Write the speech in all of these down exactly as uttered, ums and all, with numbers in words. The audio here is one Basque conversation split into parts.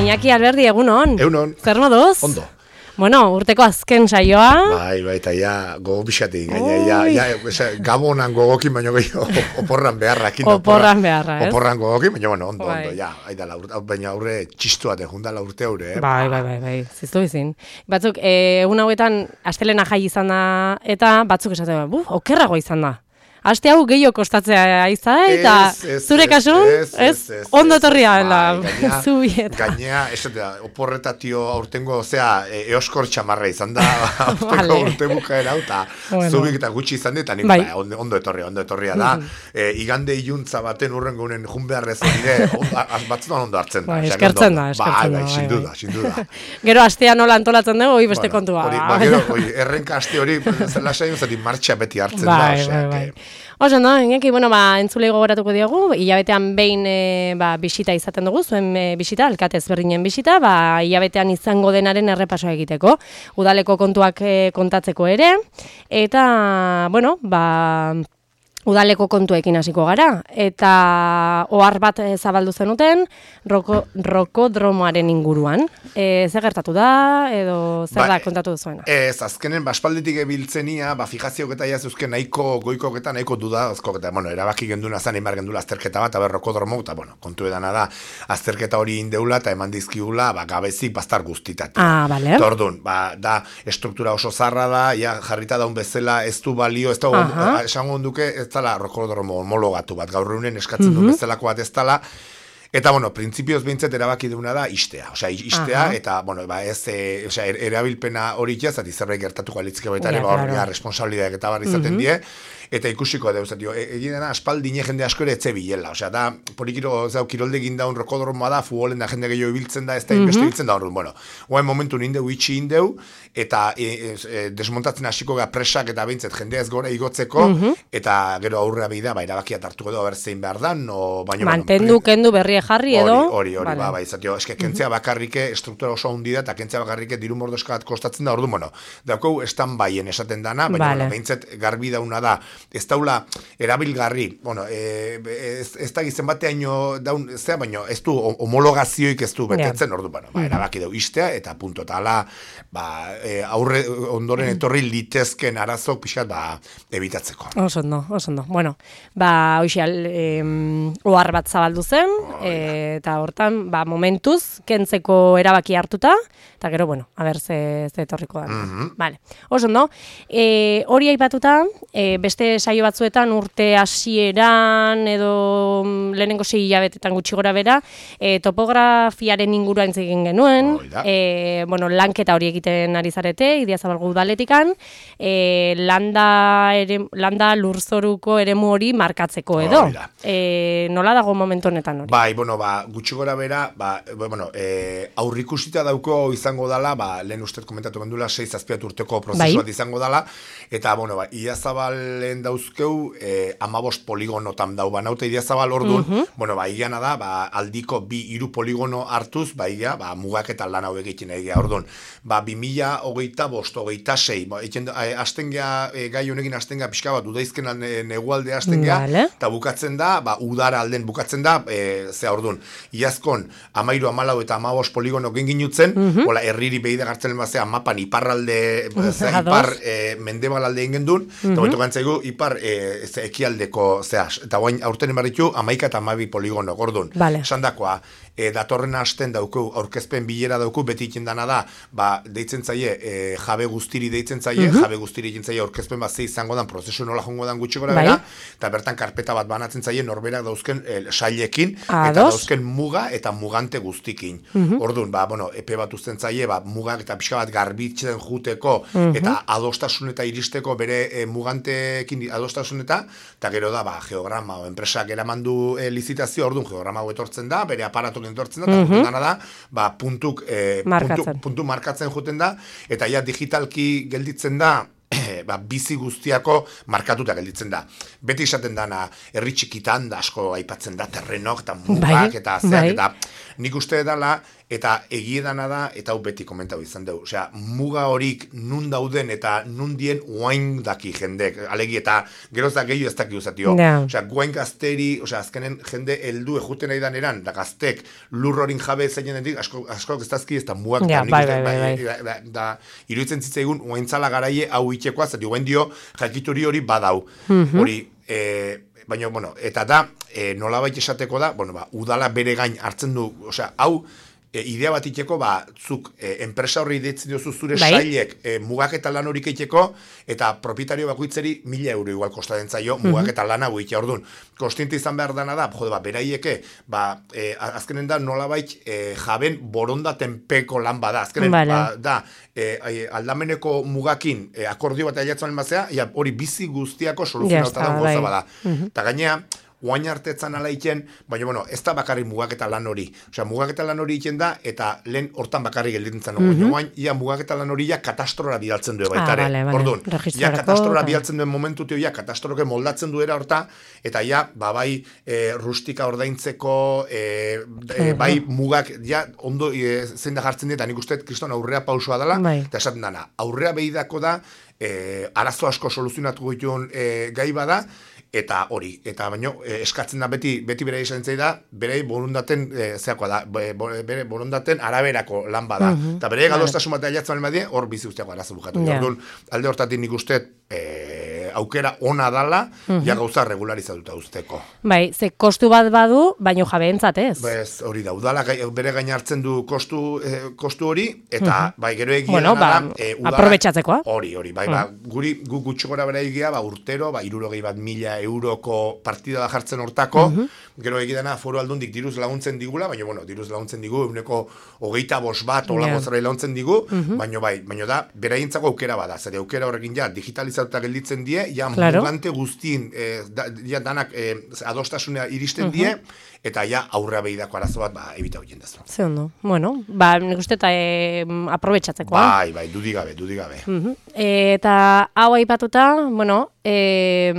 Iñaki Alberdi, egunon. Egunon. Zer moduz? Ondo. Bueno, urteko azken saioa. Bai, bai, eta ja, gogo pixatik, gaina, ja, ja, esa, gabonan gogokin, baina gehiago, oporran beharra. Oporran beharra, ez? Oporran gogokin, baina, bueno, ondo, bai. ondo, ja, aida, urte, baina aurre txistu bat, jundala urte aurre, eh? Bai, bai, bai, bai, ziztu bizin. Batzuk, egun hauetan, astelena jai izan da, eta batzuk esaten, buf, okerrago izan da. Aste hau gehiago kostatzea izan, eta zure kasun, ez, ondo etorria dela, zubieta. Gainea, esatea, oporretatio aurtengo, osea, eoskor txamarra izan da, aurteko urte bukaera, eta zubik eta gutxi izan dut, eta nik, ondo etorria, ondo etorria da. Igande iluntza baten urren gunen jun beharrez dire, batzutan ondo hartzen da. Eskertzen da, eskertzen da. Bai, sindu da, sindu da. Gero astea nola antolatzen dugu, hori beste kontua. Gero, errenka aste hori, zela sain, zati martxa beti hartzen da, Oso, no, Iñaki, bueno, ba, entzulei gogoratuko diogu, hilabetean behin e, ba, bisita izaten dugu, zuen e, bisita, alkatez berdinen bisita, ba, hilabetean izango denaren errepasoa egiteko, udaleko kontuak e, kontatzeko ere, eta, bueno, ba, udaleko kontuekin hasiko gara, eta ohar bat zabaldu zenuten, roko, rokodromoaren inguruan. E, zer gertatu da, edo zer ba, da kontatu duzuena? Ez, azkenen, baspalditik ebiltzenia, ba, fijazioak eta jazuzken nahiko goikok eta nahiko dudazkok eta, bueno, erabaki genduna zan, imar gendula azterketa bat, aber rokodromo, eta, bueno, kontu edana da, azterketa hori indeula eta eman dizkigula, ba, gabezik bastar guztitat. Ah, bale. Tordun, ba, da, estruktura oso zarra da, ja, jarrita daun bezala, ez du balio, ez da, esango onduke, ez dala rokodromo homologatu bat, gaur egunen eskatzen du bezalako bat ez dala, eta, bueno, printzipioz behintzat erabaki duguna da istea, osea, istea, Aha. eta, bueno, ba, ez, e, osea, er, erabilpena hori jazat, zerbait gertatuko alitzike baita ere, ba, hor, ja, responsabilidadeak eta bar izaten die, eta ikusiko da, uzatio, egin dena, aspaldine jende asko ere etxe bilela, osea, da, polikiro, zau, kirolde egin daun rokodromoa da, futbolen da jende gehiago ibiltzen da, ez da, inbeste ibiltzen da, hor, bueno, oain momentu nindeu, itxi indeu, eta e, e, desmontatzen hasiko ga presak eta behintzet jendea ez gora igotzeko, eta gero aurrea bida, ba, erabakiat hartuko du, abertzein behar dan, o, baino, mantendu, kendu, berrie jarri edo? Hori, hori, hori, ba, ba, izatio, eske, kentzea bakarrike, struktura oso hundi da, eta kentzea bakarrike diru mordoska bat kostatzen da, ordu, bueno, daukau estan baien esaten dana, baina, bueno, behintzet garbi dauna da, ez daula, erabilgarri, bueno, e, ez, ez da gizien bateaino daun, zea, baino, ez du homologazioik ez du betetzen, ordu, bueno, ba, erabaki dau istea, eta punto, eta ala, ba, e, aurre ondoren etorri litezken arazok pixat, ba, ebitatzeko. Oso ondo, oso ondo. Bueno, ba, hoxial, eh, ohar bat zabaldu zen, oh, e, eta hortan, ba, momentuz, kentzeko erabaki hartuta, eta gero, bueno, a ber, ze, ze etorriko da. Mm-hmm. Vale, oso ondo. E, hori aipatuta, e, beste saio batzuetan urte hasieran edo lehenengo sei hilabetetan gutxi gora bera, e, topografiaren inguruan egin genuen, oh, e, bueno, lanketa hori egiten ari zarete, Idiazabalgo udaletikan, e, landa, ere, landa lurzoruko eremu hori markatzeko edo. Oh, e, nola dago momentu honetan hori? Bai, bueno, ba, gutxi gora bera, ba, bueno, e, aurrikusita dauko izango dala, ba, lehen ustez komentatu gendula, sei zazpiat urteko prozesuat bai. Izango dala, eta, bueno, ba, Idiazabalen dauzkeu, e, amabost poligonotan dau, ba, naute Idiazabal ordun, uh -huh. bueno, ba, igiana da, ba, aldiko bi hiru poligono hartuz, ba, igia, ba, mugak eta lan hau egiten egia ordun. Ba, bi mila hogeita bost, hogeita sei, ba, hasten gea, e, gai honekin hasten gea, pixka bat, udaizken negualde hasten gea, eta bukatzen da, ba, udara alden bukatzen da, e, zea ordun, iazkon, amairu, amalau eta amabost poligono genginutzen, uh -huh. hola, herriri behide gartzen bazea, mapan iparralde, zea, ipar, e, mendebal alde ingen duen, uh -huh. eta beto gantzaigu, ipar, e, ze, ekialdeko, zea, eta guain, aurten emarritu, amaika eta amabi poligono, gordun, vale. Sandakoa, e, datorren hasten dauku, aurkezpen bilera dauku, beti ikendana da, ba, deitzen zaie, e, jabe guztiri deitzen zaie, uh -huh. jabe guztiri egin zaie, aurkezpen bat ze izango dan, prozesu nola jongo dan gutxi gora bera, eta bertan karpeta bat banatzen zaie, norberak dauzken e, sailekin, eta dauzken muga eta mugante guztikin. Uh -huh. Orduan, ba, bueno, epe bat uzten zaie, ba, mugak eta pixka bat garbitzen juteko, uh -huh. eta adostasun eta iristeko bere e, mugantekin adostasun eta, eta gero da, ba, geograma, o enpresak eramandu e, lizitazio, orduan, geograma hau etortzen da, bere aparatok etortzen da, eta uh -huh. dana da, ba, puntuk, e, puntu, puntu markatzen juten da, eta ja digitalki gelditzen da, ba, bizi guztiako markatuta gelditzen da. Beti esaten dana, herri txikitan da asko aipatzen da terrenok eta mugak bai, eta zeak bai. Eta nik uste dela, eta egiedana da, eta hau beti komentau izan dugu. Osea, muga horik nun dauden eta nun dien guain daki jendek. Alegi eta geroz da gehiago ez daki uzatio. Yeah. Osea, guain gazteri, osea, azkenen jende heldu ejuten nahi eran, da gaztek lurrorin jabe zeinenetik, asko, asko ez dazki ez da mugak. Yeah, da, bai, bai, bai, bai. Da, da, da, iruditzen zitzaigun, guaintzala garaie hau itxekoa, zati guen dio, jakituri hori badau. Mm-hmm. Hori, e, baina, bueno, eta da, e, nolabait esateko da, bueno, ba, udala bere gain hartzen du, osea, hau, E, idea bat itxeko, ba, zuk e, enpresa horri ditzen diozu zure bai? sailek e, mugaketa lan horik eitxeko, eta propietario bakoitzeri mila euro igual kostaden zaio mm-hmm. mugaketa lana buitea orduan. Kostiente izan behar dana da, jode, ba, beraieke, ba, e, azkenen da nolabait e, jaben borondaten peko lan bada, azkenen vale. ba, da, e, aldameneko mugakin e, akordio bat ailatzen almazea, ja, hori bizi guztiako soluzionauta da goza bada. Eta mm-hmm. gainea, guain hartetzan ala iten, baina, bueno, ez da bakarrik mugaketa lan hori. Osea, mugaketa lan hori iten da, eta lehen hortan bakarrik gelditzen mm -hmm. guain, ia mugaketa lan hori ja katastrora bidaltzen du baitare. Ah, vale, vale. Orduan, ja katastrora bidaltzen duen momentu teo, ja katastroke moldatzen duera horta, eta ja, ba, bai, e, rustika ordaintzeko, e, e, bai, mugak, ja, ondo, e, zein da jartzen dira, nik uste, kriston aurrea pausua dela, bai. Eta esaten dana, aurrea behidako da, e, arazo asko soluzionatu dituen e, gai bada, eta hori, eta baino eh, eskatzen da beti beti bere izan da, bere borondaten eh, zeakoa da, bere borondaten araberako lan bada. Eta uh-huh. bere gadostasun bat ailatzen badie, hor bizi guztiako arazo bukatu. Yeah. Orduan, alde hortatik nik uste eh, aukera ona dala, uh-huh. ja gauza regularizatuta usteko. Bai, ze kostu bat badu, baino jabeentzat ez. Bez, hori da, udala bere gain hartzen du kostu, eh, kostu hori, eta uh-huh. bai, gero egia bueno, ba, da, eh, aprobetxatzekoa. Hori, hori, bai, uh-huh. ba, guri, gu gutxo gora bera egia, ba, urtero, ba, irurogei bat mila euroko partida da jartzen hortako, uh-huh. gero egidana foru aldundik diruz laguntzen digula, baina, bueno, diruz laguntzen digu, eguneko hogeita bos bat, hola yeah. gozara laguntzen digu, uh-huh. baina bai, baina da, beraientzako aukera bada, zari aukera horrekin ja, digitalizatuta gelditzen die, ja, claro. mugante guztien, eh, da, ja, danak eh, adostasunea iristen uh-huh. die, eta ja aurrea behidako arazo bat, ba, ebita hoien dazu. Ze ondo, bueno, ba, nik uste eta e, aprobetxatzekoa. Bai, bai, dudigabe, dudigabe. Uh-huh. E, eta hau aipatuta, bueno, e,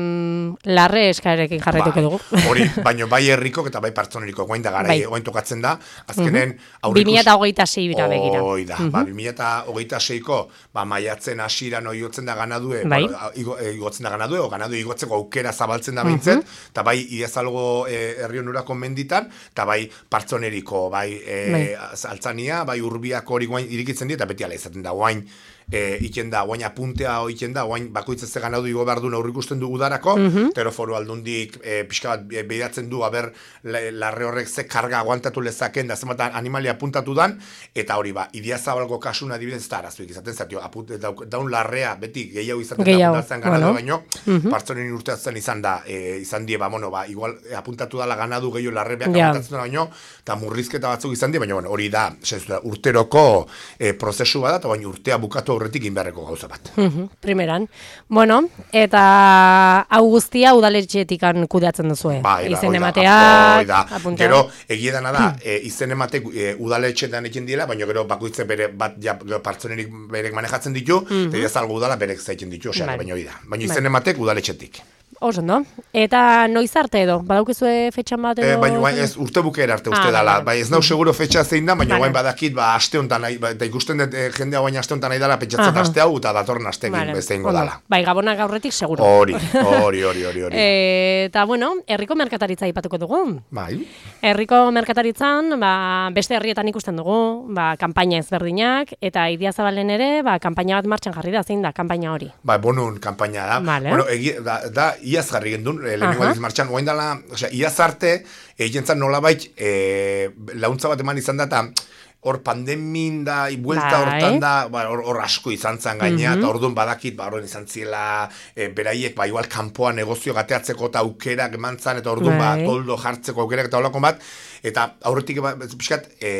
larre eskarekin jarraituko bai, dugu. Hori, baino bai herrikok eta bai partzoneriko, guain da gara, bai. Guain tokatzen da, azkenen uh-huh. aurrikus... bi mila hogeita sei bira begira. Hoi da, uh-huh. ba, bi mila hogeita seiko, ba, maiatzen asiran oiotzen da ganadue, bai. bueno, igo, igotzen da ganadue, o ganadue igotzeko aukera zabaltzen da behintzen, eta uh-huh. bai, iazalgo eh, herri onurako menditan, eta bai, partzoneriko, bai, e, bai. altzania, bai, urbiako hori guain irikitzen dira, eta beti ala izaten da, guain, E, iken da, guain apuntea iken da, guain bakoitzaz zegan hau dugu behar duen aurrikusten dugu darako, uh-huh. tero foru aldundik e, pixka bat behidatzen du, haber, larre horrek ze karga aguantatu lezaken, da zenbat animalia apuntatu dan, eta hori ba, idiazabalgo kasuna adibidez, eta arazuik izaten zatio, aput, daun da larrea, beti gehiago izaten da, apuntatzen ganadu baino, uh-huh. partzonen urteatzen izan da, e, izan die, ba, bueno, ba, igual e, apuntatu dala ganadu gehiago larre beak yeah. apuntatzen da baino, eta murrizketa batzuk izan die, baina, bueno, hori da, sensu, urteroko e, prozesu bada, eta baina urtea bukatu horretik inberreko gauza bat. Uh-huh, primeran. Bueno, eta hau guztia udaletxeetikan kudeatzen duzue. Bai, ba, izen oida, emateak, apuntea. Gero, egiedan da, e, izen ematek e, udaletxeetan ekin diela, baina gero bakoitze bere bat ja, partzonerik berek manejatzen ditu, uh-huh. eta ez algo udala berek zaitzen ditu, osea, baina hori da. Baina izen ematek udaletxeetik. Oso, no? Eta noiz arte edo? Badaukizue fetxan bat edo? E, baina bai, ez urte bukera arte uste ah, dala. Bai, ez nau seguro fetxa zein da, baina bain badakit, ba, aste honetan, ba, eta ikusten dut e, jendea baina aste honetan nahi dala, pentsatzen uh-huh. aste hau, eta datorren astekin vale. Bezeingo dala. Bai, gabonak aurretik seguro. Hori, hori, hori, hori. hori. E, eta, bueno, herriko merkataritza ipatuko dugu. Bai. Herriko merkataritzan, ba, beste herrietan ikusten dugu, ba, kanpaina ezberdinak, eta Idiazabalen ere, ba, kanpaina bat martxan jarri da, zein da, kanpaina hori. Ba, bonun kanpaina da. Vale. Bueno, egi, da, da, iaz jarri gendun, lehenengo aldiz martxan, guain dala, osea, iaz arte, egientzan nolabait, e, launtza bat eman izan da, eta hor pandemin da, ibuelta hortan da, hor, hor asko izan zan gainea, eta orduan badakit, ba, horren izan ziela, e, beraiek, ba, igual kanpoa negozio gateatzeko eta aukerak eman zan, eta orduan, ba, toldo jartzeko aukerak eta holako bat, eta aurretik ba, pixkat e,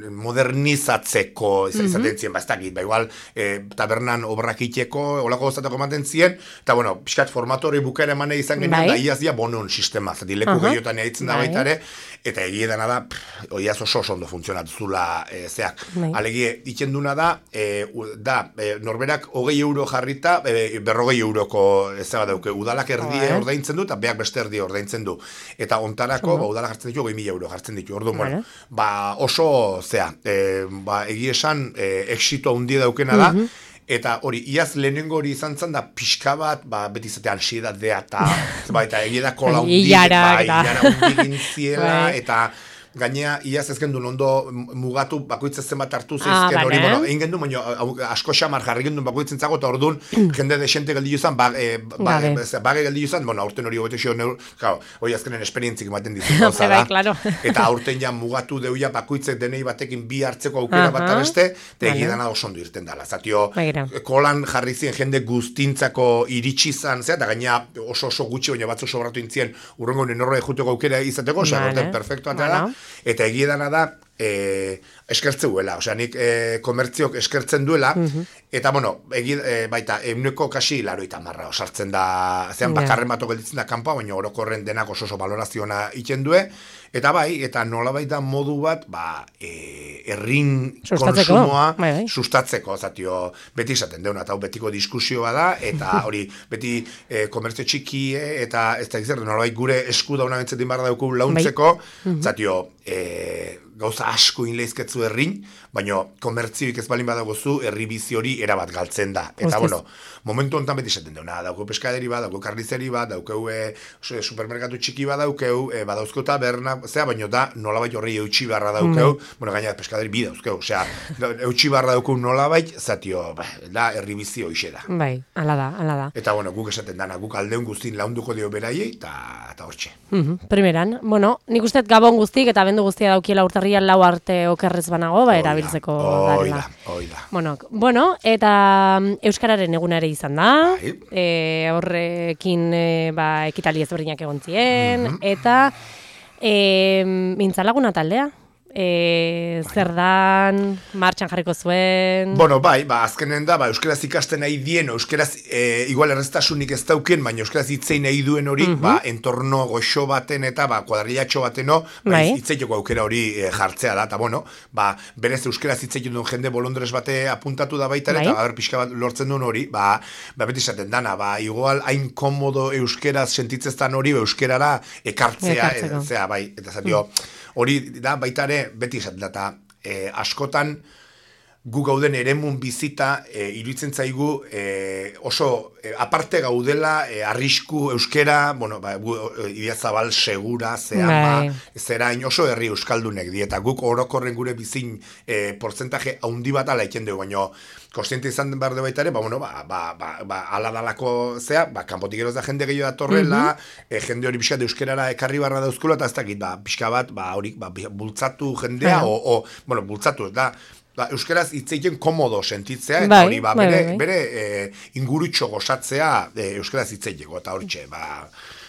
modernizatzeko izaten mm-hmm. zien, ba, ez dakit, ba, igual e, tabernan obrak iteko, olako gozatako ematen zien, eta bueno, pixkat formatori bukaera emane izan genuen, bai. Da iazia bonon sistema, zati leku uh-huh. gehiotan eaitzen da bai. Baita ere, eta egiedana da, pff, oiaz oso oso ondo funtzionatu zula e, zeak. Bai. Alegie, itxenduna da, e, da e, norberak hogei euro jarrita, e, berrogei euroko zeba dauke, udalak erdie oh, ordaintzen du, eta beak beste erdie ordaintzen du. Eta ontarako, ba, udalak jartzen ditu, hogei mila euro jartzen ditu. Orduan, bueno, ba, oso, zea, e, ba, egi esan, e, exito handi daukena da, mm -hmm. Eta hori, iaz lehenengo hori izan zen da pixka bat, ba, beti zate ansiedadea eta, ba, eta egia da kola hundik, ba, ilara hundik intziela, eta gainea, iaz ez gendun ondo mugatu bakoitzez zenbat hartu zeizken ah, hori, bueno, egin gendun, baina asko xamar jarri gendun bakoitzen zago, eta orduan, jende desente geldi juzan, bage geldi juzan, bueno, aurten hori hobetu xio, hori azkenen esperientzik ematen dizu gauza da, eta aurten ja mugatu deuia bakoitzek denei batekin bi hartzeko aukera bat beste, eta egidana oso ondo irten dala, zatio, kolan jarri zien jende guztintzako iritsi zan, eta gainea oso oso gutxi, baina batzu sobratu intzien, urrengo nenorre juteko aukera izateko, osea, orten perfektu da, eta egiedana da, e, eskertzeuela, osea, nik e, komertziok eskertzen duela, mm-hmm. eta, bueno, egi, e, baita, euneko kasi laroita marra osartzen da, zean yeah. bakarren bato gelditzen da kanpoa, baina orokorren denak oso oso valorazioa iten due, eta bai, eta nola baita modu bat, ba, e, errin konsumoa bai, bai. sustatzeko, zatio, beti izaten deuna, eta betiko diskusioa da, eta hori, beti e, komertzio txiki, eta ez da izan, nola baita gure esku dauna bentzetin barra dauku launtzeko, bai. mm-hmm. zatio, e, gauza asko inleizketzu errin, baina komertzioik ez balin badagozu, herri bizi hori erabat galtzen da. Eta, Ostez. bueno, momentu honetan beti esaten deuna, daukeu peskaderi bat, daukeu karnizeri bat, daukeu e, supermerkatu txiki bat daukeu, e, badauzkeu taberna, zera, baina da nolabait horri eutxi barra daukeu, mm. bueno, gaina peskaderi bi dauzkeu, osea, eutxi barra daukeu nolabait, zatio, ba, da, herri bizi hoxe da. Bai, ala da, ala da. Eta, bueno, guk esaten dana, guk aldeun guztin launduko dio beraiei, eta hortxe. Mm-hmm. Primeran, bueno, nik usteet gabon guztik, eta bendu guztia daukiela urtarrian lau arte okerrez banago, ba, erabiltzeko darela. Oida, bueno, bueno, eta Euskararen egunare izan da, e, horrekin e, ba, ekitali ezberdinak egon zien, mm-hmm. eta e, mintzalaguna taldea. E, zer dan, martxan jarriko zuen... Bueno, bai, ba, azkenen da, ba, euskaraz ikasten nahi dien, euskaraz, e, igual erreztasunik ez dauken, baina euskaraz hitzein nahi duen hori, mm-hmm. ba, entorno goxo baten eta, ba, kuadrillatxo bateno, ba, bai. hitzeiteko aukera hori e, jartzea da, eta, bueno, ba, berez euskaraz hitzeiten duen jende bolondrez bate apuntatu da baita, bai. eta, ber, pixka bat lortzen duen hori, ba, ba, beti esaten dana, ba, igual, hain komodo euskaraz sentitzeztan hori, euskarara ekartzea, e, zera, bai, eta zatio, hori da, baita ere, beti esaten da, e, askotan gu gauden eremun bizita e, iruditzen zaigu e, oso e, aparte gaudela e, arrisku euskera, bueno, ba, Idiazabal segura, zeama, zerain oso herri euskaldunek dieta, guk orokorren gure bizin e, portzentaje haundi bat ala iken dugu, baina konstiente izan behar de baita ere, ba, bueno, ba, ba, ba, ba, ala dalako zea, ba, kanpotik eroz da jende gehiago datorrela, mm-hmm. e, jende hori pixka de euskerara ekarri barra dauzkulo, eta ez dakit, ba, pixka bat, ba, hori, ba, bultzatu jendea, o, o, bueno, bultzatu, da, ba, euskaraz hitzeiten komodo sentitzea, eta bai, hori, ba, bere, bai, bai. bere e, ingurutxo gozatzea e, euskaraz hitzeiteko, eta hortxe, ba,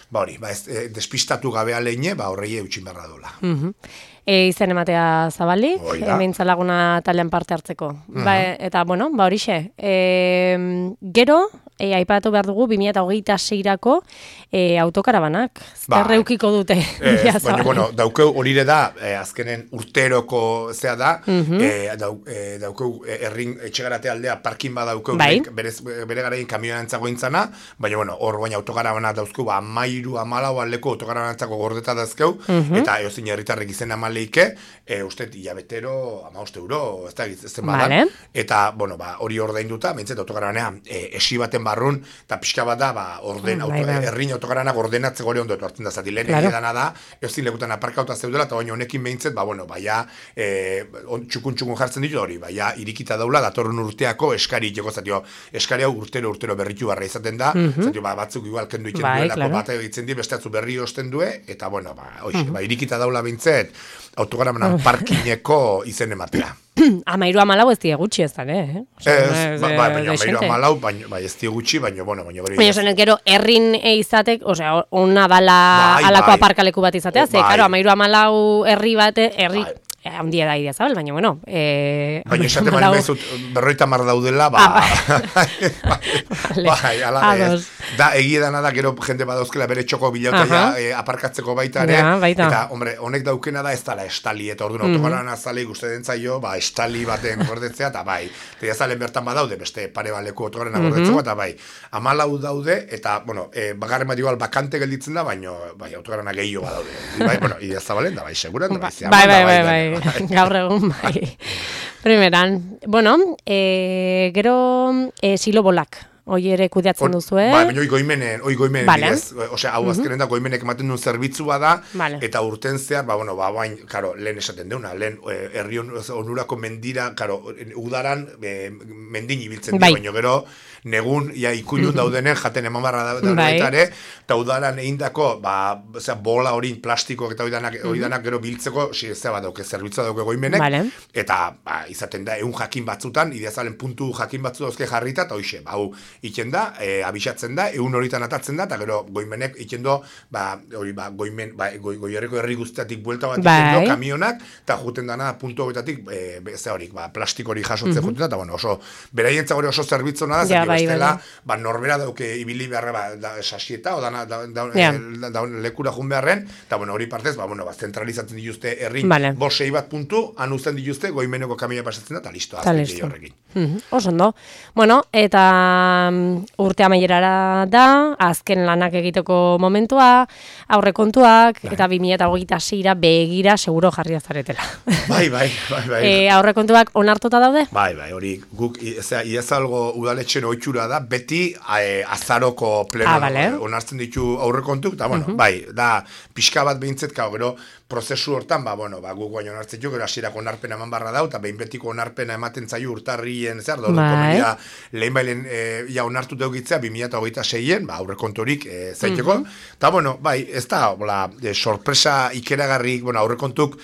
ba hori, ba, ez, e, despistatu gabea leine, ba, horrei eutxin berra dola. Mm-hmm. E, izen ematea Zabali, mintzalaguna talean parte hartzeko. Mm-hmm. Ba, eta, bueno, ba horixe, e, gero, e, aipatu behar dugu, bi mila hogeita seirako e, autokarabanak. Zer reukiko dute. Eh, baina, bueno, daukeu horire da, eh, azkenen urteroko zea da, mm-hmm. eh, dau, eh, daukeu errin etxegarate aldea parkin ba daukeu, bai. berez, bere garaien kamioan entzagointzana, baina, bueno, hor baina autokarabana dauzkeu, ba, amairu, amalau aldeko autokarabanantzako gordeta dauzkeu, mm-hmm. eta eozin herritarrek izen amaleike, e, uste, hilabetero, ama uste euro, ez da, ez badan, vale. Eta, bueno, ba, hori ordainduta, bintzet autokarabanean, e, esi baten barrun, eta pixka bat da, ba, orden, auto, bai, errin autokarabanak ordenatzeko hori ondo hartzen da, zati, lehen claro. Edana da, eozin lekutan aparkauta zeudela, eta baina honekin behintzet, ba, bueno, baia, e, txukun-txukun jartzen ditu hori, baia, irikita daula, datorren urteako eskari iteko, zatio, eskari hau urtero, urtero berritu barra izaten da, mm-hmm. zatio, ba, batzuk igual kendu itzen bai, duelako, claro. Bat egitzen di, beste atzu berri osten due, eta, bueno, ba, oixe, mm-hmm. ba, irikita daula behintzet, autokaramanan parkineko izen ematea. Amairu amalau ez die gutxi ez da, eh? Osa, ez, ba, ba, baina amairu amalau, baina ba, ez die gutxi, baina, bueno, baina hori... Baina zenet gero, errin izatek, osea, ona dala bai, alako bai. Aparkaleku bat izatea, ze, bai. Karo, amairu amalau herri bat, herri... Bai. handia da idea zabal, baina, bueno. E, baina esaten bali bezut, berroita mar daudela, ba... Ah, bai, bai, ala ez. Da, egia dana da, gero jende badauzkela bere txoko bilauta e, aparkatzeko baita ere. Ja, baita. Eta, hombre, honek daukena da ez dala estali, eta orduan mm-hmm. autogaran azale ikuste dentzaio, ba, estali baten gordetzea, eta bai. Eta azalen bertan badaude, beste pare baleko autogaran mm-hmm. gordetzeko, eta bai. Amalau daude, eta, bueno, e, bagarren bat igual bakante gelditzen da, baina, bai, autogarana gehiago badaude. Bai, bueno, idea zabalen da, bai, seguran da, bai, zeaman bai, bai, da, bai, bai, bai, bai. Gaur egun, bai. Primeran, bueno, e, gero e, silobolak. Hoi ere kudeatzen duzu, eh? Bai, baina hoi goimenen, hoi goimenen, vale. Bidez, osea, hau azkenen da, goimenek ematen duen zerbitzua da, vale. Eta urten zehar, ba, bueno, ba, bain, karo, lehen esaten deuna, lehen herri onurako mendira, karo, udaran, e, mendin ibiltzen bai. Dira, baina gero, negun, ja, ikulun daudenen, jaten eman barra da, bai. Eta udaran eindako, ba, osea, bola hori plastiko eta hori danak, hori danak gero biltzeko, si ez bat dauke, zerbitzua dauke goimenek, vale. Eta, ba, izaten da, egun jakin batzutan, ideazalen puntu jakin batzu dauzke jarrita, eta hoxe, ba, hau, iken da, e, abisatzen da, egun horitan atatzen da, eta gero goimenek iken do, ba, hori, ba, goimen, ba, goi, goierreko herri guztiatik buelta bat iken do, kamionak, eta juten dana puntu horietatik, e, ze horik, ba, plastik hori jasotzen mm-hmm. juten da, eta bueno, oso, beraientza hori oso zerbitzu nada, ja, bai, bestela, bai. Ba, norbera dauke ibili beharra, ba, da, sasieta, o dana, da, da, yeah. da, da, lekura jun beharren, eta bueno, hori partez, ba, bueno, ba, zentralizatzen dituzte herri, vale. Bosei bat puntu, han uzten dituzte, goimeneko kamioa pasatzen da, eta listo, azken gehi horrekin. Mm-hmm. Oso ondo. Bueno, eta urte amaierara da, azken lanak egiteko momentua, aurrekontuak, bai. Eta bi mila hogeita seira begira seguro jarri azaretela. Bai, bai, bai, bai. E, aurrekontuak onartuta daude? Bai, bai, hori, guk, ezea, iazalgo udaletxen oitxura da, beti e, azaroko pleno ah, vale. Onartzen ditu aurrekontuk, eta bueno, uh-huh. bai, da, pixka bat behintzet, kau, gero, prozesu hortan, ba, bueno, ba, guk baino onartzen jo, gero hasierako onarpena eman barra dau, eta behin betiko onarpena ematen zaio urtarrien, zer, dut, komedia, lehen bailen, e, ja, onartu deugitzea, bi mila hogeita seien, ba, aurrekonturik e, zaiteko, eta, uh-huh. bueno, bai, ez da, bola, e, sorpresa ikeragarrik, bueno, aurrekontuk,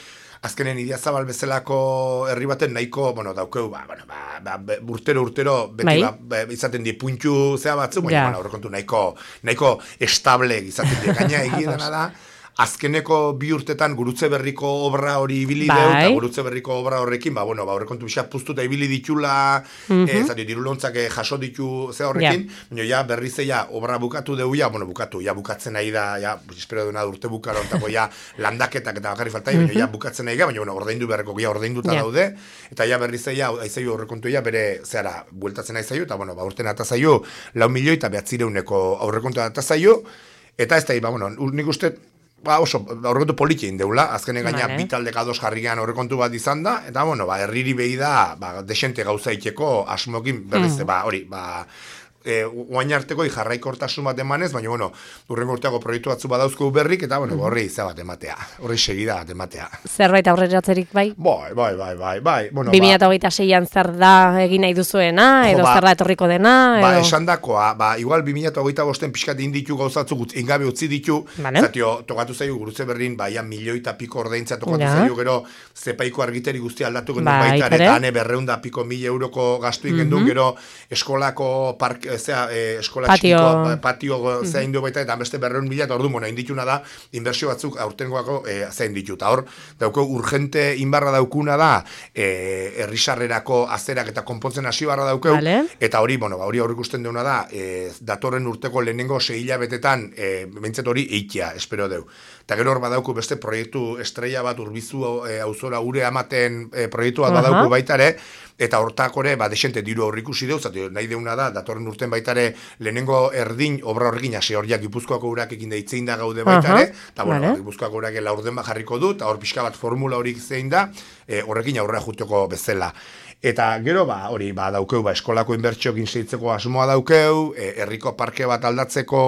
azkenen Idiazabal bezalako herri baten nahiko, bueno, daukeu, ba, bueno, ba, ba, urtero, urtero, beti, ba, ba, izaten di puntu zea batzu, baina, yeah. bueno, aurrekontu nahiko, nahiko estable izaten di, gaina egidana da, azkeneko bi urtetan gurutze berriko obra hori ibili deu, eta gurutze berriko obra horrekin, ba, bueno, ba, horrekontu bisa puztuta ibili ditula, mm-hmm. e, zati, dirulontzak jaso ditu ze horrekin, yeah. baina ja, berriz ja, obra bukatu deu, ja, bueno, bukatu, ja, bukatzen nahi da, ja, espero duena urte bukaro, ontako, ja, landaketak eta bakarri faltai, mm-hmm. baina ja, bukatzen nahi ga, baina, bueno, ordaindu beharreko, ja, ordainduta yeah. daude, eta ja, berriz ja, aizaio horrekontu, ja, bere, zehara, bueltatzen aizaio, eta, bueno, ba, urten atazaio, lau milioi eta behatzireuneko aurrekontu atazaio, eta ez da, ba, bueno, nik uste, ba, oso, aurrekontu politxein deula, azkene gaina vale. Bitaldek ados jarrigan aurrekontu bat izan da, eta, bueno, ba, herriri behi da, ba, desente gauza itxeko asmokin, berriz, mm. ba, hori, ba, e, uain arteko jarraikortasun bat emanez, baina, bueno, urrengo urteako proiektu batzu badauzko berrik, eta, bueno, horri izan bat ematea, horri segida bat ematea. Zerbait aurreratzerik bai? Bai, bai, bai, bai, bai. Bueno, bi mila hogeita seian zer da egin nahi duzuena, edo ba, zer da etorriko dena, edo? Ba, esan dakoa, ba, igual bi mila hogeita bosten pixkat inditu gauzatzu, ingabe utzi ditu, vale. Zatio, tokatu zaio gurutze berrin, baia milioi eta piko ordaintza tokatu ja. Zaio, gero, zepaiko argiteri guztia aldatu gendu ba, baita, eta ane berreunda piko mila euroko gastu ikendu, mm-hmm. gero, eskolako park, zea, eh, eskola patio. Txiko, patio mm-hmm. zein du baita, eta beste berreun mila, eta ordu, bueno, indituna da, inbertsio batzuk aurtengoako eh, zein ditu, eta hor, dauko, urgente inbarra daukuna da, eh, errisarrerako azerak eta konpontzen hasi barra daukeu, vale. Eta hori, bueno, hori aurrik usten deuna da, eh, datorren urteko lehenengo sei hilabetetan, eh, bentzet hori eitea, espero deu. Eta gero hor badauku beste proiektu estrella bat urbizu e, auzora ure amaten e, proiektu bat badauku uh-huh. baitare, eta hortakore, ba, desente diru aurrikusi deu, zati, nahi deuna da, datorren urten baitare lehenengo erdin, obra horrekin, ase horiak Gipuzkoako urakekin deitzein da gaude baitare, eta uh-huh. bueno, vale. Gipuzkoako urake laurden bat jarriko du, eta hor pixka bat formula horik zein da, e, horrekin aurrea juteko bezala. Eta gero, ba, hori, ba, daukeu, ba, eskolako inbertsiokin seitzeko asmoa daukeu, e, herriko parke bat aldatzeko,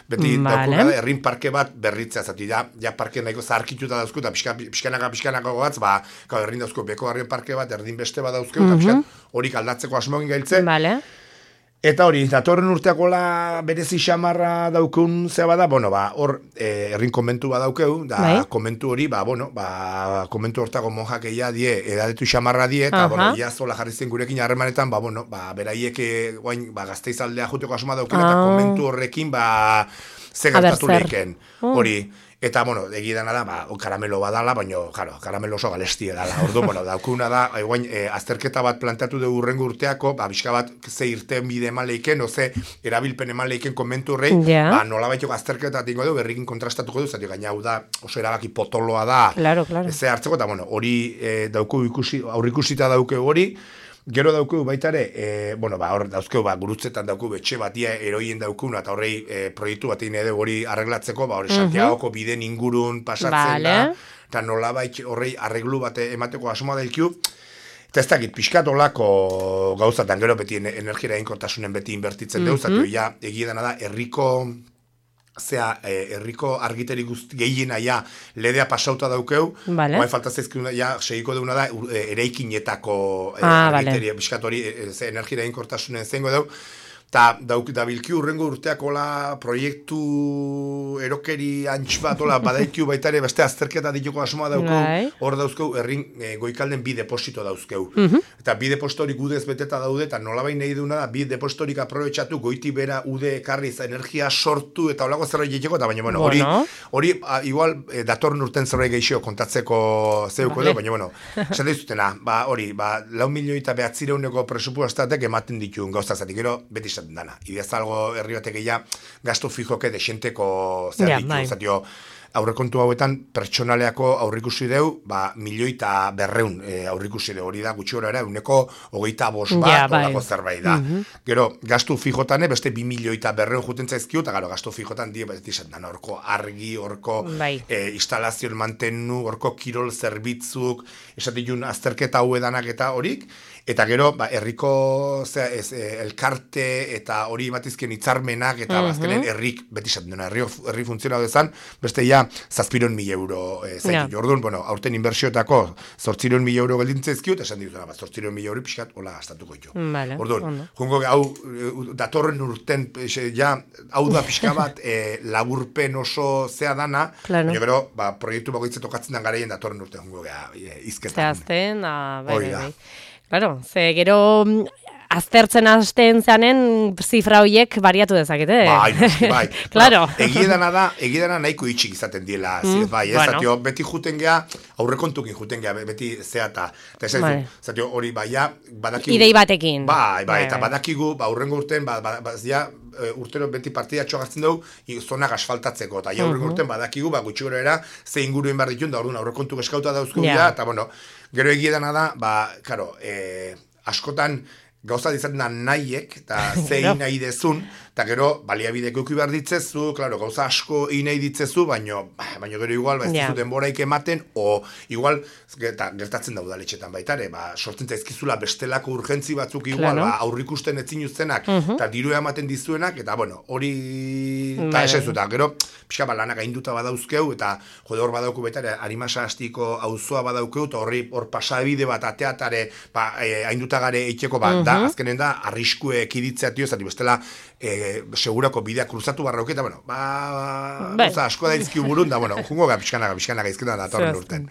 beti vale. Daukeu, herrin parke bat berritzea, zati, ja, ja parke nahiko zaharkituta dauzkeu, eta pixka, pixkanaka, pixkanaka gogatz, ba, gau, herrin dauzkeu, beko harrien parke bat, erdin beste bat dauzkeu, mm-hmm. eta pixkat, horik aldatzeko asmoa gailtzen. Vale. Eta hori, datorren urteakola berezi xamarra daukun zea bada, bueno, ba, hor, e, errin komentu badaukeu, da, bai. Komentu hori, ba, bueno, ba, komentu hortako monjak eia die, edadetu xamarra die, eta, uh-huh. bueno, iazola jarri zen gurekin harremanetan, ba, bueno, ba, beraiek, guain, ba, Gasteizaldea juteko asuma daukena, uh-huh. eta komentu horrekin, ba, ze gertatu lehken. Uh-huh. Hori, Eta, bueno, egidana da, ba, karamelo badala, baina, claro, karamelo oso galestia dala. Ordu, bueno, daukuna da, egoin, e, azterketa bat planteatu dugu urrengo urteako, ba, bizka bat, ze irten bide eman leiken, oze, erabilpen eman leiken komentu horrei, yeah. ba, nola baitoko azterketa tingo du, berrikin kontrastatuko du, zati gaina hau da, oso erabaki potoloa da, claro, claro. Ze hartzeko, eta, bueno, hori e, dauku ikusi, aurrikusita dauke hori, gero daukeu baitare, e, bueno, ba, hor dauzkeu, ba, gurutzetan daukeu betxe batia eroien daukuna, eta horrei e, proiektu bat egin hori arreglatzeko, ba, hori Santiagoko biden ingurun pasatzen vale. Da, eta nola bait horrei arreglu bat emateko asmoa dailkiu, eta ez dakit, pixkatolako gauzatan, gero beti energia inkortasunen beti inbertitzen mm -hmm. deuz, ja, egidana da, herriko zea, herriko eh, argiteri guzti gehiena ja ledea pasauta daukeu, vale. Oain falta zaizkiduna, ja, segiko deuna da, eraikinetako eh, ah, argiteri, vale. Piskatori, eh, ze energia inkortasunen zengo deu, eta dauk dabilkiu urrengo urteakola proiektu erokeri antx bat, ola, badaikiu baitare, beste azterketa dituko asmoa daukeu, hor dauzkeu, errin e, goikalden bi deposito dauzkeu. Uh -huh. Eta bi depositorik udez beteta daude, eta nolabain nahi duna da, bi depositorik aprobetsatu, goiti bera ude ekarriz, energia sortu, eta holako zerbait egiteko, eta baina, bueno, hori, bueno. hori, igual, e, datorren urten zerbait gehiago kontatzeko zeuko vale. Du, baina, bueno, esan dizutena, ba, hori, ba, lau milioi eta behatzireuneko presupuestatek ematen dituen gauzazatik, gero, beti dana. Ideaz algo herri batek ja gasto fijoke de xenteko zer ditu, yeah, zatio, aurrekontu hauetan pertsonaleako aurrikusi deu, ba, milioi eta berreun e, aurrikusi deu, hori da, gutxi gora era, uneko hogeita bost bat, yeah, olako zerbait da. Mm -hmm. Gero, gastu fijotane, beste bi milioi eta berreun juten zaizkiu, eta gero, gastu fijotan die, beti esan, orko argi, orko e, instalazioen mantenu, orko kirol zerbitzuk, esatikun azterketa hau edanak eta horik, eta gero, ba, herriko zera, ez, e, elkarte eta hori batizkien hitzarmenak eta uh-huh. azkenen herrik, beti esaten duna, herri, herri funtzionatu dezan, beste ja, zazpiron mila euro e, zaitu. Yeah. Orduan, bueno, aurten inbertsioetako zortziron mila euro geldintzezkiu, eta esan dituzena, ba, zortziron mila euro pixkat, hola, gastatuko ditu. Vale. Orduan, oh, no. jungo, hau, datorren urten, ja, hau da pixka bat, e, laburpen oso zea dana, claro. Gero, ba, proiektu bagoitze tokatzen dan garaien datorren urten, jungo, ja, izketan. Zehazten, ah, bai, bai. Claro, ze gero aztertzen hasten zanen zifra horiek bariatu dezakete. Bai, bai. Claro. Egiedana da, egiedana nahiko itxik izaten diela, mm, bai, ez, bueno. Zatio, beti juten geha, aurrekontukin juten geha, beti zeata. Eta ez bai. Zatio, hori, bai, ja, badakigu. Idei batekin. Bai, bai, bai, eta badakigu, ba, urrengo urten, ba, ba, ba, ja, urtero beti partida txogartzen dugu, zonak asfaltatzeko, eta ja, urrengo urten badakigu, ba, gutxi gora era, ze inguruen behar ditun, da, orduan, aurrekontu eskauta dauzko yeah. eta, bueno, gero egiedana da, ba, karo, eh, askotan, gauza dizaten da nahiek, eta zein nahi dezun, eta gero, baliabideko eki behar ditzezu, klaro, gauza asko egin nahi ditzezu, baino, baino gero igual, ba, ez yeah. duzu denboraik ematen, o igual, eta gertatzen da udaletxetan baitare, ba, sortzen zaizkizula bestelako urgentzi batzuk igual, claro. Ba, aurrikusten etzin uztenak, eta uh -huh. diru ematen dizuenak, eta bueno, hori, eta esan zu, eta gero, pixka ba, lanak ainduta badauzkeu, eta jode hor badauku baitare, harimasa hastiko auzoa badaukeu, eta horri hor pasabide bat ateatare, ba, e, ainduta gare eitxeko, ba, uh -huh. da, azkenen da, arriskue ekiditzea tio, zati bestela, e, segurako bidea kruzatu barrauke, eta bueno, ba, ba oza, asko da izkiu burun, da, bueno, jungo ga, pixkanaga, pixkanaga izketan da torren urten.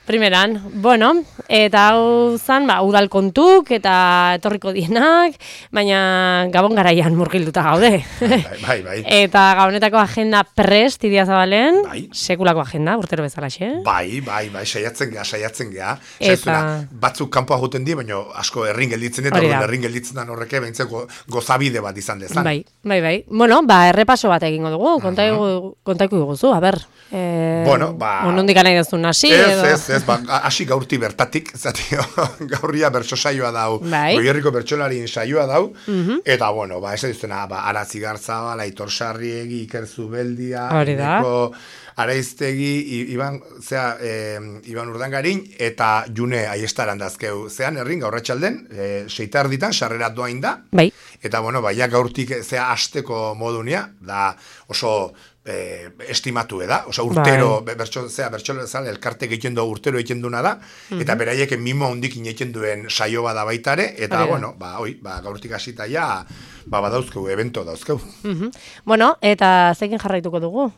Primeran, bueno, eta hau zan, ba, udal kontuk eta etorriko dienak, baina gabon garaian murgilduta gaude. Bai, bai, bai. Eta gabonetako agenda prest Idiazabalen, bai. Sekulako agenda, urtero bezalaxe. Bai, bai, bai, saiatzen geha, saiatzen geha. Eta... batzuk kanpoa juten di, baina asko errin gelditzen dut, eta errin gelditzen dan horreke, behintzeko gozabide bat izan dezan. Bai, bai, bai. Bueno, ba, errepaso bat egingo dugu, kontaiku uh-huh. guzu, a ber. Eh, bueno, ba... Onondik anai dezun hasi, edo... Ez, ez, ba, hasi gaurti bertatik, zatio, gaurria bertso saioa dau, bai. Goierriko bertsolarien saioa dau, uh-huh. eta, bueno, ba, ez duztena, ba, Aratzi Garzabala, Aitor Sarriegi, Iker Zubeldia, Neko, Araiztegi, Iban, zea, eh, Iban Urdangarin, eta June Aiestaran dazkeu, zean, errin, gaurratxalden, eh, seitar ditan, sarrerat doain da, bai. Eta, bueno, ba, ja gaurtik, zea, asteko modunia, da, oso, Eh, estimatu da, osea urtero bai. bertso zea bertso zale elkarte egiten du urtero egiten duna da uh-huh. eta beraiek mimo hondikin egiten duen saio bada baitare eta Aria. Bueno, ba hoi, ba gaurtik hasita ja ba badauzkegu evento dauzkegu. Uh-huh. Bueno, eta zekin jarraituko dugu?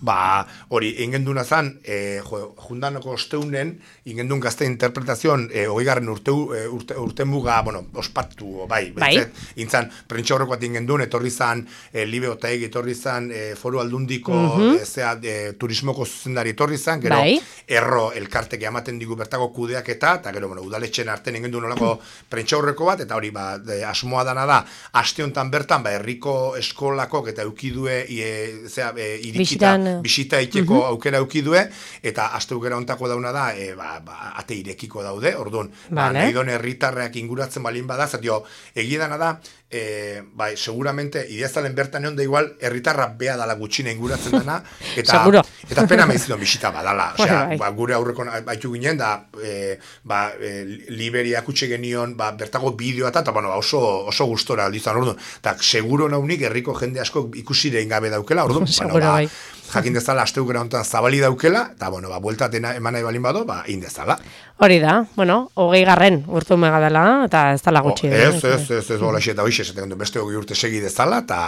ba, hori, ingenduna zan, e, jo, jundanoko osteunen, ingendun gazte interpretazion, e, oigarren urte, urte, urte muga, bueno, ospatu, bai, bai. Betzet, intzan, prentsa horreko bat ingendun, etorri zan, e, Libe Otaegi etorri zan, e, foru aldundiko, mm -hmm. e, zea, e, turismoko zuzendari etorri zan, gero, bai. erro elkarteke ematen digu bertako kudeak eta, eta gero, bueno, udaletxen arten ingendun nolako prentsa horreko bat, eta hori, ba, de, asmoa dana da, aste honetan bertan, ba, herriko eskolakok eta eukidue, e, zea, e, irikita, Bisitan, bisita iteko uh -huh. aukera eukidue, eta aste aukera ontako dauna da, e, ba, ba, ate irekiko daude, orduan, vale. ba, nahi don herritarreak inguratzen balin bada, zatio, egidana da, e, bai, seguramente, ideazalen bertan egon da igual, herritarra bea dala gutxina inguratzen dana, eta, eta pena mehizidon bisita badala, osea, ba, gure aurreko baitu ginen, da, e, ba, e, Liberia kutxe genion, ba, bertago bideoa eta, eta, bueno, ba, oso, oso gustora aldizan, orduan, eta seguro naunik herriko jende asko ikusirein gabe daukela, orduan, bueno, ba, bai. jakin dezala asteukera honetan zabali daukela, eta, bueno, ba, bueltatena eman nahi balin bado, ba, indezala. Hori da, bueno, hogei garren urte umega dela, eta ez dala gutxi. Oh, ez, ez, ez, ez, ez, eta hoxe, esaten beste hogei urte segi dezala, eta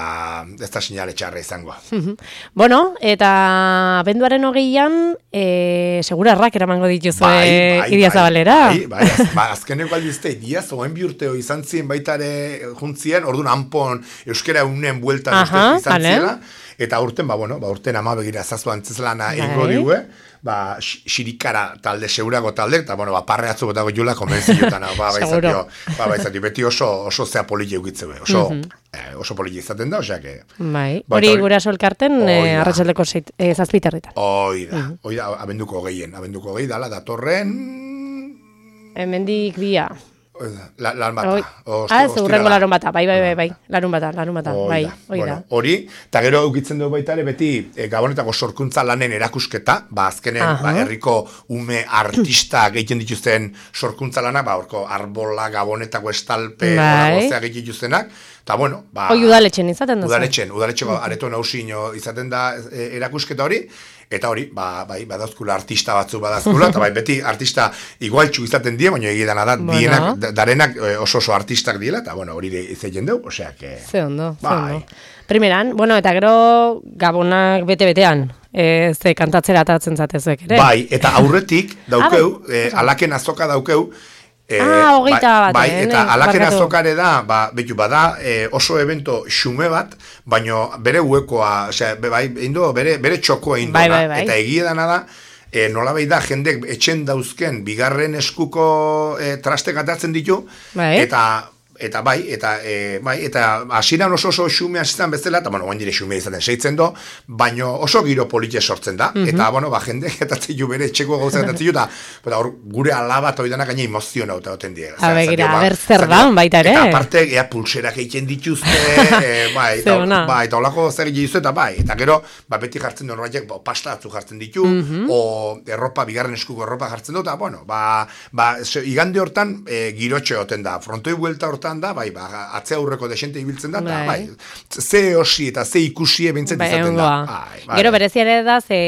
ez da sinale txarra izango. Bueno, eta abenduaren hogeian, e, segura errak eramango dituzue bai, bai, Idia Zabalera. Bai, bai, az, ba, azkeneko aldizte, Idia zoen bi urteo izan ziren baitare juntzien, orduan hanpon euskera unen bueltan izan ziela, eta urten, ba, bueno, ba, urten ama begira zazu antzeslana egingo digue, ba, xirikara talde, seurago talde, eta, bueno, ba, parre atzu botago jula, konbenziotan, ba, baizatio, ba, baizatio, beti oso, oso zea politi eukitze, oso, mm -hmm. eh, oso politi izaten da, osea, que... Bai, hori gura solkarten, eh, arratsaldeko eh, zazpiterritan. Hoi da, mm -hmm. hoi da, abenduko hogei, abenduko hogei dala, datorren... Hemendik bia. La, larun bata. Ah, ez, urrengo larun bata, bai, bai, bai, bai, larun bata, larun bata, bai, hoi da. Bueno, hori, eta gero eukitzen dugu baita ere, beti e, Gabonetako sorkuntza lanen erakusketa, ba, azkenen, ba, herriko ume artista gehiten dituzten sorkuntza lana, ba, orko arbola, Gabonetako estalpe, bai. Gozea gehiten dituztenak, eta, bueno, ba... Hoi udaletxen izaten da. Udaletxen, udaletxeko areto nausino izaten da e, erakusketa hori, eta hori, ba, bai, badauzkula artista batzu badauzkula, eta bai, beti artista igualtxu izaten die, baina egidana da, bueno. dienak, darenak oso oso artistak diela, eta, bueno, hori izaten deu, osea, que... Ze ondo, bai. Ze ondo. Primeran, bueno, eta gero Gabonak bete-betean, e, ze kantatzera atatzen zatezuek, ere? Bai, eta aurretik daukeu, e, alaken azoka daukeu, E, ah, hogeita bat. Bai, eta eh, alaken azokare da, ba, betu, bada e, oso evento xume bat, baino bere huekoa, osea, bai, indo, bere, bere txokoa indo, bai, bai, bai. Eta egia dana da, e, nola bai da, jendek etxen dauzken, bigarren eskuko e, trastek atatzen ditu, bai. eta... Eta bai, eta e, bai, eta hasieran oso oso xumea izan bezala, eta bueno, oain dire xumea izaten seitzen do, baino oso giro politia sortzen da, mm -hmm. eta bueno, ba, jende etatzen ju bere etxeko gauza etatzen ju, eta hor, gure alaba toidanak gaina emoziona eta oten die. Abegira, aber zer daun baita ere. Eta aparte, ea pulserak egiten dituzte, e, bai, eta, bai, eta olako zer egiten eta bai, eta gero, ba, beti jartzen duen horretik, ba, pasta atzu jartzen ditu, mm -hmm. o erropa, bigarren eskuko erropa jartzen dut, eta bueno, ba, ba, igande hortan, e, girotxe oten da, frontoi buelta hortan da, bai, ba, atzea aurreko desente ibiltzen da, eta, bai, ze osi eta ze ikusi ebintzen bai, izaten da. Bai, bai. Gero bereziare da, ze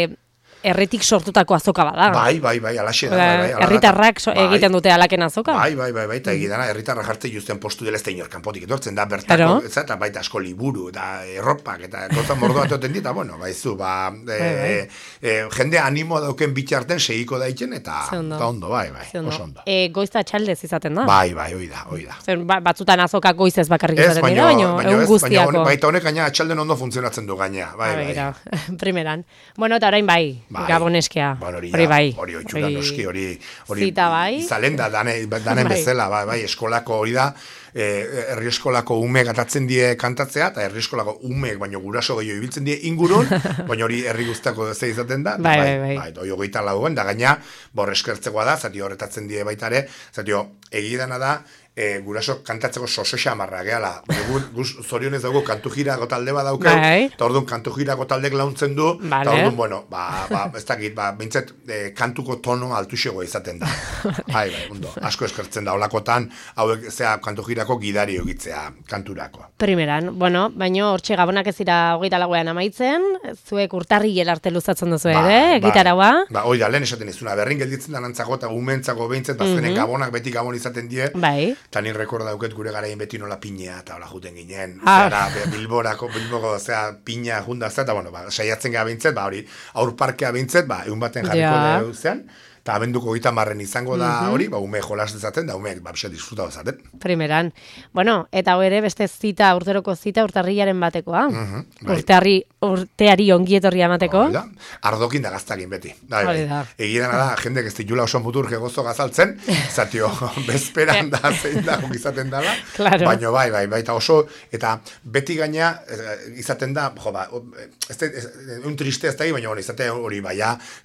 erretik sortutako azoka bada. Bai, bai, bai, alaxe da. Bai, bai, herritarrak so, bai. egiten dute alaken azoka. Bai, bai, bai, bai, eta egidana, herritarrak jartzen juzten postu dela ez da inor kanpotik etortzen da, bertako, eta baita asko liburu, eta erropak, eta gota mordo bat oten dita, bueno, baizu, ba, e, bai, bai. E, jende animo dauken bitxarten segiko daitzen, eta ondo, bai, bai, oso ondo. E, goizta txaldez izaten da? Bai, bai, hoi da, hoi da. Zer, batzutan azoka goizez bakarrik izaten dira, baina egun guztiako. Baita honek gaina txalden ondo funtzionatzen du gaina, bai, bai. Primeran. Bueno, eta orain bai, Gaboneskea. Bueno, hori, hori bai. Hori oitxura noski, hori... Zita bai. Zalen da, danen bai. bezala, bai, bai, eskolako hori da, eh, herri eskolako ume gatatzen die kantatzea, eta herri eskolako ume, baino guraso gehiago ibiltzen die ingurun, baina hori herri guztako ze izaten da, bai, bai, bai. bai, bai hogeita lauen, da gaina, bor eskertzekoa da, zati horretatzen die baitare, zati egidana da, E, guraso kantatzeko soso xamarra gehala. Guz zorionez dugu kantu jirako talde bat daukeu, eta orduan kantu jirako taldek launtzen du, eta vale. Orduan, bueno, ba, ba, ez dakit, ba, bintzet, e, kantuko tono altuxego izaten da. Bai, bai, ondo, asko eskertzen da, olakotan, hauek, zea, kantu jirako gidari egitzea kanturako. Primeran, bueno, baino, hortxe Gabonak ez dira hogeita lagoean amaitzen, zuek urtarri arte luzatzen duzu ere, ba, gitaragoa. Ba, hoi da, lehen esaten izuna, berrin gelditzen da nantzako, eta gumentzako behintzen, bazkenen mm -hmm. Gabonak beti Gabon izaten die, bai. eta nire rekorda dauket gure garaien beti nola pinea, eta hola juten ginen, ah. zera, Bilborako, Bilboko, zera, pina jundazta, eta bueno, ba, saiatzen gara bintzet, ba, hori, aurparkea bintzet, ba, egun baten jarriko ja. Deu zean, eta abenduko gita marren izango da mm-hmm. hori, ba, ume jolas dezaten, da umeek, ba, bxe, disfruta dezaten. Primeran. Bueno, eta ere beste zita, urteroko zita, urtarrilaren batekoa. Mm-hmm, bai. Urteari, urteari ongietorri amateko. Da. Ardokin da gaztakin beti. Da, bai, bai. Egidan da, jendek ez ditula oso muturke gozo gazaltzen, zatio, bezperan da, zein da, izaten dala, claro. Baina bai, bai, bai, eta oso, eta beti gaina, izaten da, jo, ba, ez da, un triste ez da, baina hori, izate hori, bai,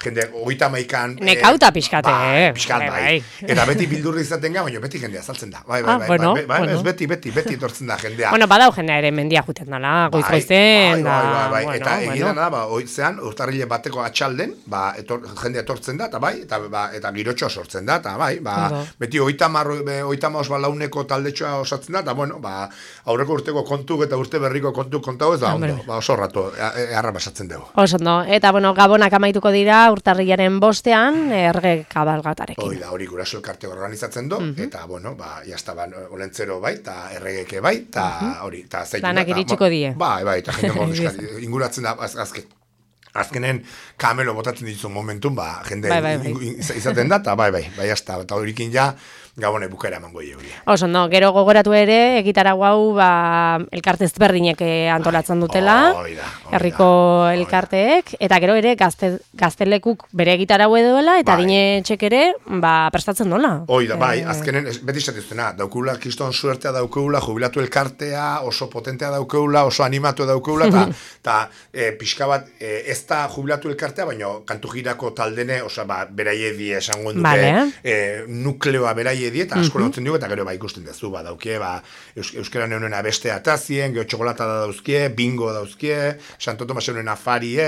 jende, oita maikan, nekauta pixkate, bai, pixkat, bai. Eta beti bildurri izaten ga, baina beti jendea saltzen da. Bai, bai, bai, ah, bueno, bai, bai, bueno. Ez beti, beti, beti etortzen da jendea. Bueno, badau jendea ere mendia juten dala, goiz-goizen, da. Bai, bai, bai, bueno, eta bueno. egidan da, ba, oitzean, urtarrile bateko atxalden, ba, etor, jendea etortzen da, eta bai, eta, ba, eta girotxoa sortzen da, eta bai, ba, claro. Beti oitamar, oitama osbalauneko taldetxoa osatzen da, eta bueno, ba, aurreko urteko kontuk eta urte berriko kontuk kontau ez da, ondo, ba, oso rato, erra basatzen dugu. Oso, no, eta bueno, gabonak amaituko dira urtarrilaren bostean, erge kabalgatarekin. Hoi da, hori guraso elkarte organizatzen du, mm-hmm. Eta, bueno, ba, jazta, ba, olentzero bai, eta erregeke bai, eta hori, eta zeitu. Danak iritsiko die. Bai, bai, eta jende morbizkat, inguratzen da, az, azken, azkenen kamelo botatzen ditu momentun, ba, jende bai, bai, bai. Izaten da, eta bai, bai, bai, jazta, eta horikin ja, gabone bukera emango hori. Oso, no, gero gogoratu ere, egitara guau, ba, elkarte ezberdinek antolatzen dutela, oida, oida, herriko elkarteek, eta gero ere gazte, gaztelekuk bere egitara duela, eta bai. Dine txek ere, ba, prestatzen dola. Oida, bai, e... azkenen, beti esatiztena, daukula, kriston suertea daukula, jubilatu elkartea, oso potentea daukula, oso animatu daukula, eta e, pixka bat, e, ez da jubilatu elkartea, baina kantu girako taldene, osa, ba, beraie die esango dute, vale. e, nukleoa beraie dieta asko lotzen dugu, eta gero ba ikusten dezu, ba, daukie, ba, eus, euskera neunena beste atazien, geho txokolata da dauzkie, bingo dauzkie, Santo Tomas neunena farie,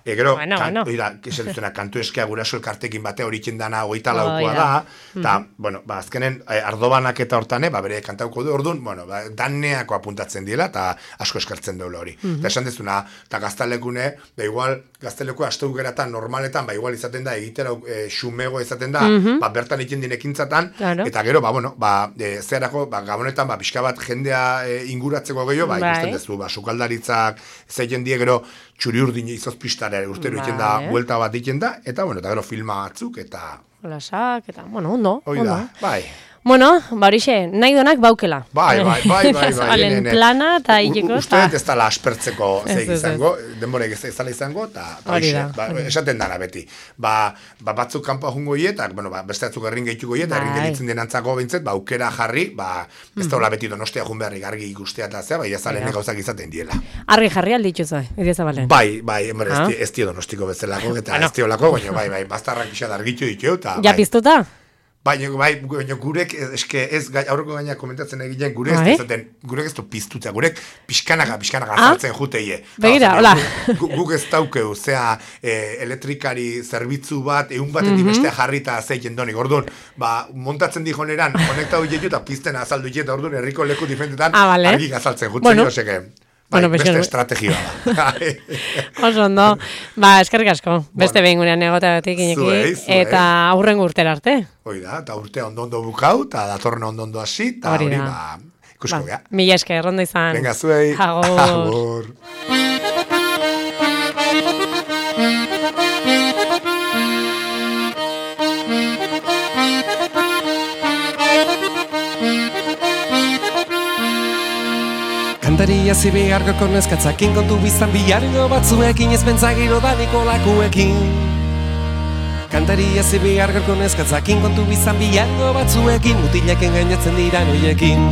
e, gero, bueno, kan, bueno. Oida, duzuna, kantu eskea guraso elkartekin bate horitzen dana hogeita laukoa da, eta, mm-hmm. bueno, ba, azkenen, e, ardobanak eta hortane, ba, bere kantauko du, orduan, bueno, ba, daneako apuntatzen diela, eta asko eskertzen duela hori. Eta mm-hmm. esan dezuna, eta gaztalekune, da igual, gazteleko aste geratan normaletan, ba, igual izaten da, egitera e, xumego izaten da, mm-hmm. ba, bertan egiten dinekintzatan, claro. Eta gero, ba, bueno, ba, e, zerako, ba, gabonetan, ba, pixka bat jendea e, inguratzeko gehiago, ba, ikusten dezu, ba, sukaldaritzak, zeiten die gero, txuri urdin izozpistare urtero iten da, buelta bat iten da, eta, bueno, eta gero filma batzuk, eta... Lasak, eta, bueno, ondo, ondo. Oida, bai. Bueno, ba horixe, nahi donak baukela. Bai, bai, bai, bai, bai. Alen plana eta hileko. Uste dut ez dala aspertzeko zeik izango, denborek ez dala izango, eta horixe, ba, esaten dara beti. Ba, ba batzuk kanpoa jungo hietak, bueno, ba, beste batzuk errin gehituko hiet, errin gelitzen denantzako bintzet, ba, aukera jarri, ba, ez da hola beti donostia jun beharrik argi ikustea eta zea, ba, jazalen gauzak izaten diela. Argi jarri alditzu zai, idieza balen. Bai, bai, emre, ah? ez tio donostiko bezalako, eta ez tio lako, baina, bai, bai, bastarrak pixat argitu ditu, eta... Ja piztuta? Baina, bai, baina gurek, eske ez, aurreko gaina komentatzen egiten, gurek ez zaten, gurek ez du piztuta, gurek pixkanaga, pixkanaga azaltzen ah? Juteie. Begira, hola. Guk ez daukeu, zea, e, elektrikari zerbitzu bat, egun batetik mm-hmm. bestea jarrita zeiten donik, orduan, ba, montatzen di joneran, konektau dietu eta pizten azaldu dietu, orduan, herriko leku diferentetan, ah, vale. Argik azaltzen jutzen, bueno. Joseke. Bai, bueno, beste estrategia da. Oso ondo. Ba, eskerrik asko. Beste bueno. Behin gurean egoteatik ineki. Eta aurrengo urtera arte. Hoi da, eta urtea ondo-ondo bukau, eta datorren ondo-ondo hasi, eta hori, ba, ikusko ba, gea. Mila esker, ondo izan. Venga, zuei. Agur. Agur. Kantaria zibi argoko neskatzakin kontu bizan bihargo batzuekin ez pentsagiro daniko lakuekin. Kantaria zibi argoko neskatzakin kontu bizan bihargo batzuekin mutileken gainatzen dira noiekin.